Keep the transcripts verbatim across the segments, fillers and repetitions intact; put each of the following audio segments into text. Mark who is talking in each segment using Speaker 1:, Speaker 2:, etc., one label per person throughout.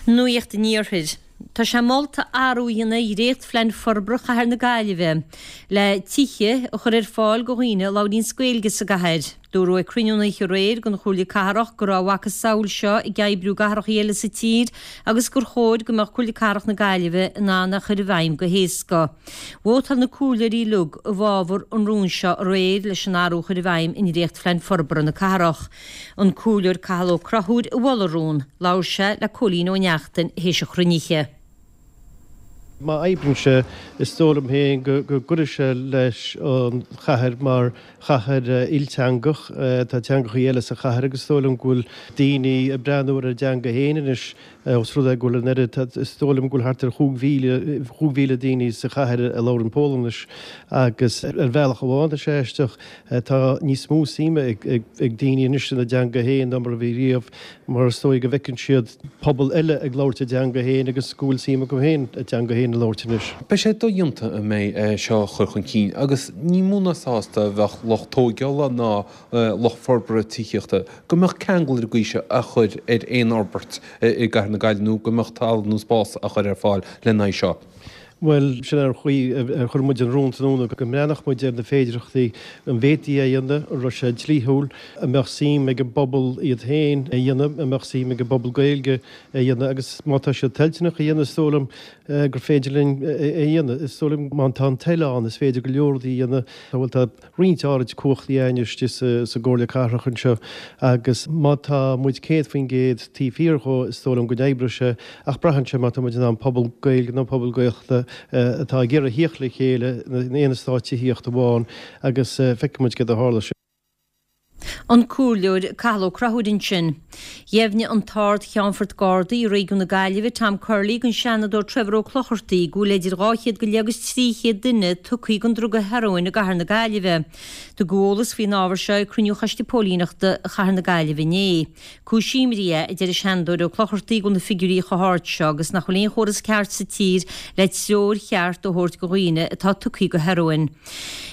Speaker 1: Nuacht an Iarthair. Tá sé molta athrú a dhéanamh ar dhréachtphlean forbartha Chathair na Gaillimhe le tithe a chur ar fáil do dhaoine a labhraíonns Gaeilge sa gcathair. Dúradh ag cruinniú an oíche aréir den Chomhairle Cathrach go raibh a mhacasamhail seo ag oibriú i gcathracha eile sa tír agus gur chóir go mbeadh Comhairle Cathrach na Gaillimhe in ann é a chur i bhfeidhm go héasca. Vótáil na comhairleoirí uilig i bhfabhar an rúin seo aréir leis an athrú a chur i bhfeidhm i ndréachtphlean forbartha na cathrach. An Comhairleoir Cathal Ó Conchúir a mhol an rún. Labhair sé le Cóilín Ó Neachtain théis an chruinnithe.
Speaker 2: Má oibríonn sé, is dóigh liom féin go gcuirfidh sé leis an chathair mar chathair ilteangach. Tá teangachaí eile sa chathair agus is dóigh liom go bhfuil daoine ag breathnú ar a dteanga féin anois os rud é go bhfuil an oiread, is dóigh liom go bhfuil thart ar chúig mhíle, chúig mhíle daoine sa chathair a labhrann Polainnis agus ar bhealach amháin tá sé aisteach, tá níos mó suime ag daoine anois ina dteanga féin ná mar a bhí riamh mar is dóigh go bhfeiceann siad pobal eile ag labhairt a dteanga féin agus go bhfuil suim acu féin a dteanga féin a labhairt anois.
Speaker 3: Beidh sé dodhéanta an mbeidh é seo a chur chun cinn agus ní mó ná sásta a bheadh lucht tóigeála ná lucht forbartha tithíochta go mbeadh ceangal ar an gcaoi seo á chur ar aon fhorbairt i gcathair na Gaillimhe nó go mbeadh talamh nó spás á chur ar fáil lena aghaidh seo.
Speaker 2: Bhuel, sin é an chaoi ar chuir muid an rún tráthnóna, go mbreathnódh muid ar na féidearthachtaí, an bhféadfaí é a dhéanamh, an raibh sé dlíthiúil, an mbeadh suim ag an bpobal iad féin é a dhéanamh, an mbeadh suim ag an bpobal Gaeilge é a dhéanamh agus má tá siad toilteanach a dhéanamh is dóigh liom gur féidir linn é a dhéanamh. Is dóigh liom má tá an toil ann is féidir go leor rudaí a dhéanamh. Bhuel, tá roinnt áirid cumhachtaí againn istigh sa gComhairle Cathrach anseo agus má tá muid céad faoin gcéad taobh thiar dhó is dóigh liom go n-oibreoidh sé ach braitheann sé má tá muid in ann pobal Gaeilge nó pobal Gaeltachta atá ag iarraidh thíocht le chéile in aon eastát tithíochta amháin agus feicfidh muid céard a tharla.
Speaker 1: An Comhairleoir Cathal Ó Conchúir ansin. Dheimhnigh an tArd-Cheannfort Gardaí i réigiún na Gaillimhe, Tom Curley, don Seanadóir Trevor Ó Clochartaigh go bhfuil idir dhá chéad go leith agus trí chéad duine tugtha don druga hearóin i gcathair na Gaillimhe. Tugadh eolas faoin ábhar seo ag cruinniú Choiste Póilíneachta Chathair na Gaillimhe inné. Cúis imní é, a deir an Seanadóir Ó Clochartaigh, go bhfuil na figiúirí chomh hard seo agus nach bhfuil aon chóras ceart sa tír le treoir cheart a thabhairt do dhaoine atá tugtha do hearóin.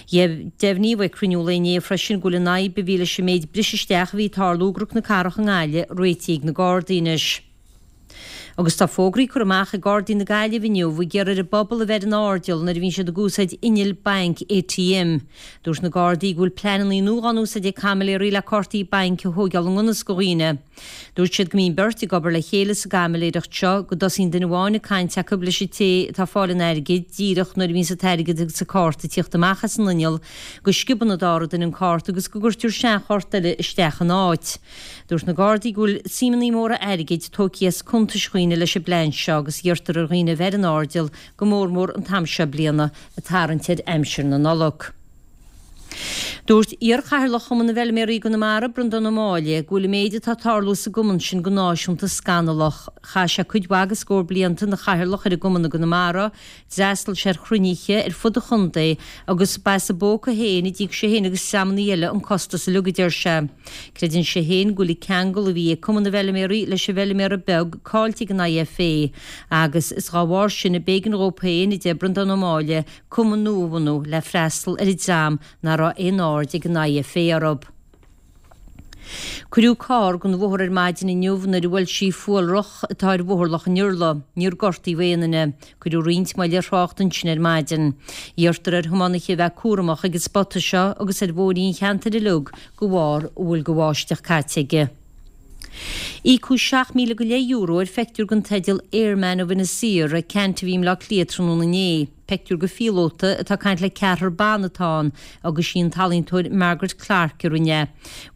Speaker 1: Deimhníodh ag cruinniú lae inné freisin go bhfuil an fhadhb a bhí leis an méid briseadh isteach a bhí ag tarlú i gCnoc na Cathrach i nGaillimh réitithe ag na Gardaí anois. Agus tá fógraí curtha amach ag Gardaí na Gaillimhe inniu ag iarraidh ar an bpobal a bheith ar an airdeall nuair a bhíonn siad ag úsáid innill bainc ATM. Dúirt na Gardaí go bhfuil pleananna nua á n-úsáid ag caimiléirí le cártaí bainc a thóigeáil i ngan fhios do dhaoine. Dúirt siad go mbíonn beirt ag obair le chéile sa gcaimiléireacht seo, go dtosaíonn duine amháin ag caint acu leis an té atá ag fáil an airgid, díreach nuair a bhíonns an t-airgead agus an cárta ag tíocht amach as an inneall, go sciobann an dara duine an cárta agus go gcuirtear seanchárta eile isteach ina áit. Dúirt na Gardaí go bhfuil suimeanna móra airgid tógtha as cuntais dhaoine leis an bplean seo agus iarrtar ar dhaoine a bheith ar an airdeall, go mór mór an t-am seo bliana, ag tarraingt ar aimsir na Nollag. Dúirt iar-chathaoirleach Chumann na bhFeilméaraí i gConamara, Breandán Ó Máille, go bhfuil an méid atá ag tarlú sa gcumann sin go náisiúnta scannalach. Chaith sé cuid mhaith de scór blianta ina chathaoirleach ar an gcumann i gConamara, d'fhreastail sé ar chruinnithe ar fud an chontae agus ba as a phóca féin a d'íoc sé féin agus dreamanna eile an costas uilig, a deir sé. Creideann sé féin go bhfuil an ceangal a bhí ag Cumann na bhFeilméaraí leis an bhfeilméara beag caillte ag an IFA agus is dhá bharr sin a b'éigean dhó féin, a deir Breandán Ó Máille, cumann nua a bhunú le freastal ar an dream nach raibh aon aird ag an IFA orthu. Cuireadh carr den bhóthar ar maidin inniu nuair a bhuail sí fuarloch atá ar Bhóthar Loch an Iarla. Níor gortaíodh aon duine. Cuireadh roinnt moill ar thrácht ansin ar maidin. Iarrtar ar thiománaithe a bheith cúramach ag an spota seo agus ar bhóithrí an cheantair uilig de bharr a bhfuil de bháisteach caite aige. Íocadh seacht míle go leith euro ar phictiúr den teideal Airman of Inis Oírr ag ceant a bhí i mBleá Cliath tráthnóna inné. Pictiúr de phíolóta atá ag caint le ceathrar ban atá ann agus sí an t-ealaíontóir Margaret Clarke a rinne é.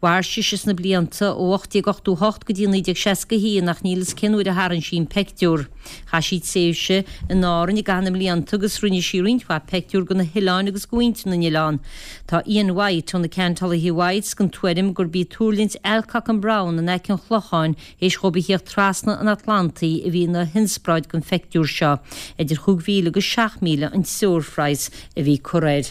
Speaker 1: Mhair sise sna blianta ó ocht déag ochtó a hocht go dtí naoi déag seasca a haon ach níl fhios cén uair a tharraing sí an pictiúr. Chaith sí tréimhse in Árainn i gcaitheamh na mblianta agus rinne sí roinnt mhaith pictiúr de na hoileáin agus de mhuintir na n-oileán. Tá Ian White ó na ceantálaithe Whites den tuairim gurb í tuirlingt Alcock and Brown in aice an Chlocháin théis dhóibh a thíocht trasna an Atlantaigh a bhí ina hionspráid don phictiúr seo. Idir chúig mhíle agus seacht míle an treoirphraghas a bhí curtha air.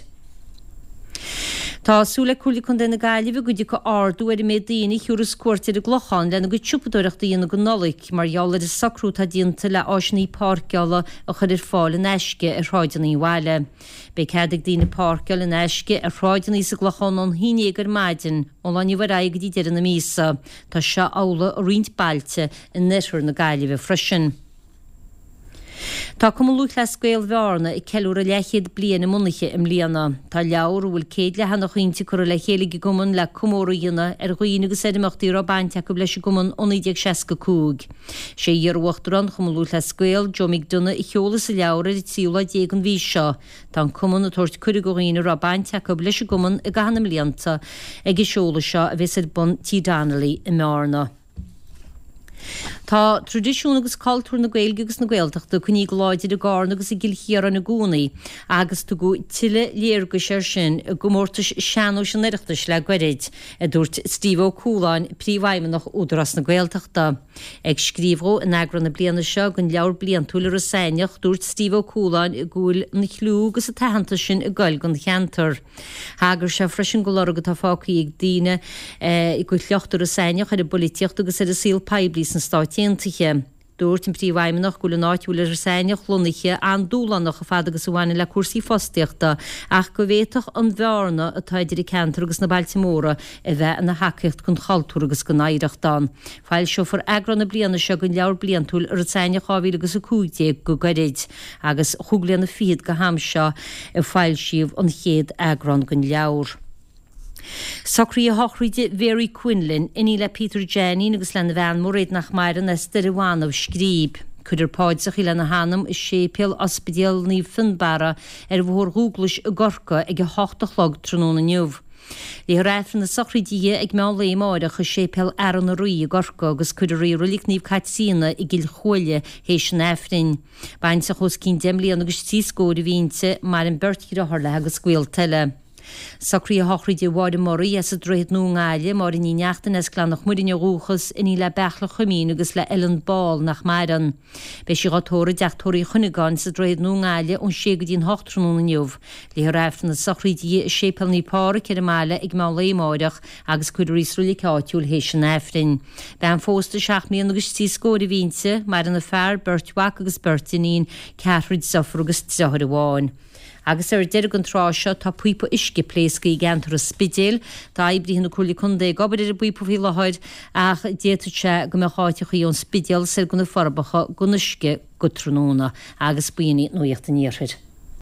Speaker 1: Tá súil ag Comhairle Contae na Gaillimhe go dtiocfaidh ardú ar an méid daoine a thiúrfas cuairt ar an gClochán lena gcuid siopadóireachta a dhéanamh don Nollaig mar gheall ar an socrú atá déanta le áiseanna páirceála a chur ar fáil in aisce ar shráideanna an bhaile. Beidh cead ag daoine páirceáil in aisce ar shráideanna sa gClochán ón haon déag ar maidin ón lá inniu ar aghaidh go dtí deireadh na míosa. Tá seo amhlaidh i roinnt bailte in oirthear na Gaillimhe freisin. Tá Cumann Lúthchleas Gael Bhearna ag ceiliúradh leathchéad bliain a mbunaithe i mbliana. Tá leabhar a bhfuil céad leathanach inti curtha le chéile ag an gcumann le comóradh a dhéanamh ar dhaoine agus ar imeachtaí a raibh baint acu leis an gcumann ó naoi déag seasca cúig. Sé iar-uachtarán Chumann Lúthchleas Gael, Joe McDonagh, a sheolfas an leabhar ar an tríú lá déag den mhí seo. Tá an cumann ag tabhairt cuireadh do dhaoine a raibh baint acu leis an gcumann i gcaitheamh na mblianta ag an seoladh seo a bheas ar bun Tí Donnelly i mBearna. Tá traidisiún agus cultúr na Gaeilge agus na Gaeltachta coinnithe go láidir i gCarna agus i gCill Chiaráin i gcónaí agus tugadh tuilleadh léargais air sin i gcomórtais sean-nóis an Oireachtais le gairid, a dúirt Steve Ó Cualáin, Príomhfheidhmeannach Údarás na Gaeltachta. Ag scríobh dhó in eagrán na bliana seo den leabhar bliantúil Iorras Aithneach, dúirt Steve Ó Cualáin go bhfuil an clú agus an t-aitheantas sin ag goil don cheantar. Thagair sé freisin do lorg atá fágtha ag daoine de shliocht Iorras Aithneach ar an bpolaitíocht agus ar an saol poiblí sna Stáit Aontaithe. Dúirt an Príomhfheidhmeannach go bhfuil an áit a bhfuil Iorras Aithneach lonnaithe an-dúshlánach chomh fada agus a bhaineann le cúrsaí fostaíochta ach go bhféadfadh an bhearna atá idir an ceantar agus na bailte móra a bheith ina thacaíocht don chultúr agus don oidhreacht ann. Foilseofar eagrán na bliana seo den leabhar bliantúil Iorras Aithneach dhá mhíle agus a cúig déag go gairid agus chúig bliana fichead go ham seo a foilsíodh an chéad eagrán den leabhar. Socruithe shochraide Mhary Quinlan, iníon le Peter Jainín agus lena bhean Mairéad nach maireann as Doire Bhanbh, Scríb. Cuirfear paidreacha lena hanam i Séipéal Ospidéal Naomh Fionnbarra ar Bhóthar Dhúglais i gCorcaigh ag a hocht a chlog tráthnóna inniu. Léifear Aifreann na sochraide di ag meán lae amáireach i Séipéal Fhearann an Rí i gCorcaigh agus cuirfear í i Roilig Naomh Caitríona i gCill Chuaille théis an Aifrinn. Baintreach os cionn deich mbliana agus trí scór a bhí inti, maireann beirt dheartháir léi agus gaolta eile. Socruithe shochraide Mháire Murray as an Droichead Nua i nGaillimh, Máire Ní Neachtain as Gleann an Chmuirinn ó dhúchas, iníon le Beartla Chuimín agus le Ellen Ball nach maireann. Beidh sí dhá tórramh i dteach tórraimh Uí Chuinneagáin sa Droichead Nua i nGaillimh ón sé go dtí an hocht tráthnóna inniu. Léifear Aifreann na sochraide di i Séipéal Naomh Pádraig ar an mbaile ag meán lae amáireach agus cuirfear í sa roilig áitiúil théis an Aifrinn. Bean phósta seacht mbliana agus trí scór a bhí inti, maireann a fear, beirt mhac agus beirt iníon, ceathrar deirfiúr agus deartháir amháin. Agus ar deireadh an tráth seo tá píopa uisce pléasctha i gceantar an Spidéil. Tá oibrithe na Comhairle Contae ag obair ar an bpíopa faoi láthair ach d'fhéadfadh sé go mbeadh áiteachaí ón Spidéal soir go na Forbacha gan uisce go tráthnóna. Agus b'in í Nuacht an Iarthair.